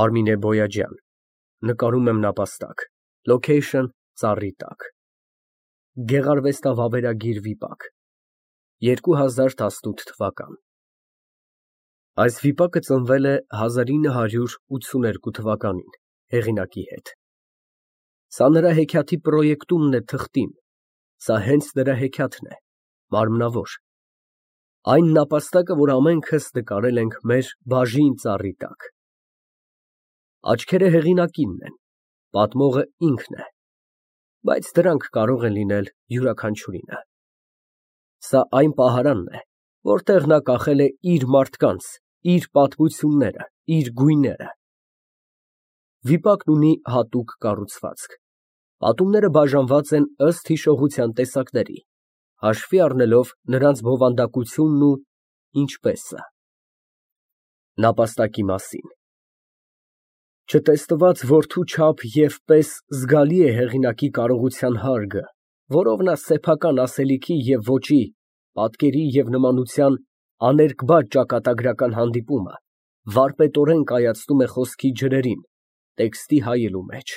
Արմինե Բոյաջյան, նկարում եմ նապաստակ, location ծառի տակ, Գեղարվեստավավերագիր վիպակ, 2018 թվական։ Այս վիպակը ծնվել է 1982 թվականին հեղինակի հետ։ Սա նրա հեքիաթի պրոյեկտումն է թղթին, սա հենց նրա հեքիաթն է, մարմնավոր, այն նապաստակը, որ ամենքս նկարել ենք մեր բաժին ծառի տակ։ Աչքերը հեղինակինն են, պատմողը ինքն է, բայց դրանք կարող են լինել յուրաքանչյուրինը։ Սա այն պահարանն է, որտեղ նա կախել է իր մարդկանց, իր պատմությունները, իր գույները։ Վիպակն ունի հատուկ կառուցվածք, պատումները բաժանված են ըստ հիշողության տեսակների, հաշվի առնելով նրանց բովանդակությունն ու ինչպեսը։ Նապաստակի մասին։ Չտեսնված որդու չափ և պես զգալի է հեղինակի կարողության հարգը, որով նա սեփական ասելիքի և ոճի, պատկերի և նմանության աներկբա ճակատագրական հանդիպումը վարպետորեն կայացնում է խոսքի ջրերին, տեքստի հայելու մեջ։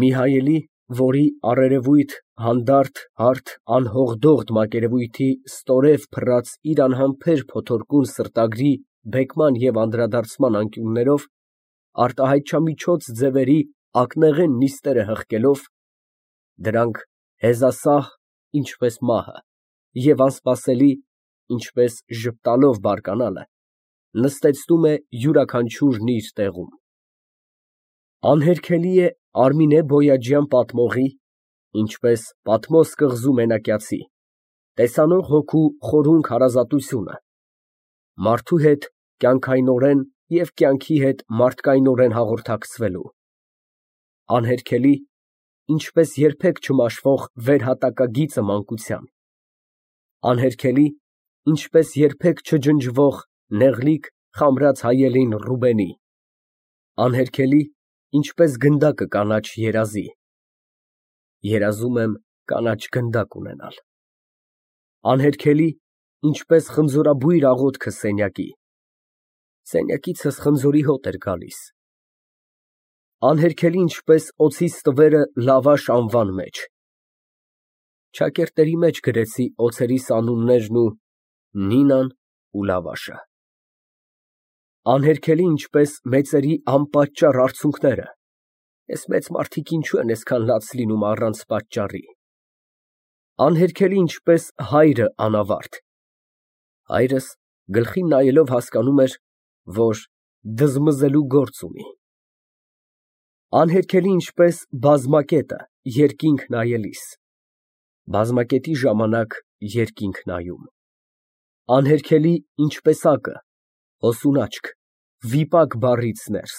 Մի հայելի, որի առերևույթ, հանդարտ, հարթ, անհողդողդ մակերևույթի ստորև փռած իր անհամբեր փոթորկուն սրտագրի բեկման և անդրադարձման անկյուններով, արտահայտչամիջոց ձևերի ակնեղեն նիստերը հղկելով, դրանք հեզասահ, ինչպես մահը, և անսպասելի, ինչպես ժպտալով բարկանալը, նստեցնում է յուրաքանչյուրն իր տեղում։ Անհերքելի է Արմինե Բոյաջյան պատմողի, ինչպես Պատմոս կղզու մենակյացի, տեսանող հոգու խորհունք հարազատությունը, մարդու հետ կյանքայնորեն և կյանքի հետ մարդկայնորեն հաղորդակցվելու, անհերքելի, ինչպես երբեք չմաշվող վերհատակագիծը մանկության, անհերքելի, ինչպես երբեք չջնջվող նեղլիկ խամրած հայելին Ռուբենի, անհերքելի, ինչպես գնդակը կանաչ երազի (երազում եմ կանաչ գնդակ ունենալ), անհերքելի, ինչպես խնձորաբույր աղոթքը սենյակի (սենյակիցս խնձորի հոտ էր գալիս), անհերքելի, ինչպես օձի ստվերը լավաշ անվան մեջ (չակերտների մեջ գրեցի օձերիս անուններն ու Նինան ու լավաշը), անհերքելի, ինչպես մեծերի անպատճառ արցունքները (ես մեծ մարդիկ ինչու են այսքան լաց լինում առանց պատճառի), անհերքելի, ինչպես հայրը անավարտ (հայրս գլխին նայելով հասկանում էր, որ դզմզելու գործ ունի), անհերքելի, ինչպես բազմակետը երկինք նայելիս (բազմակետի ժամանակ երկինք նայում), անհերքելի, ինչպես ակը (հոսուն աչք, վիպակ բառից ներս),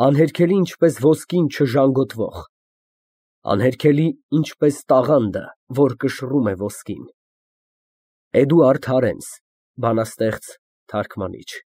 անհերքելի, ինչպես ոսկին չժանգոտվող, անհերքելի, ինչպես տաղանդը, որ կշռում է ոսկին։ Էդուարդ Հարենց, բանաստեղծ, թարգմանիչ։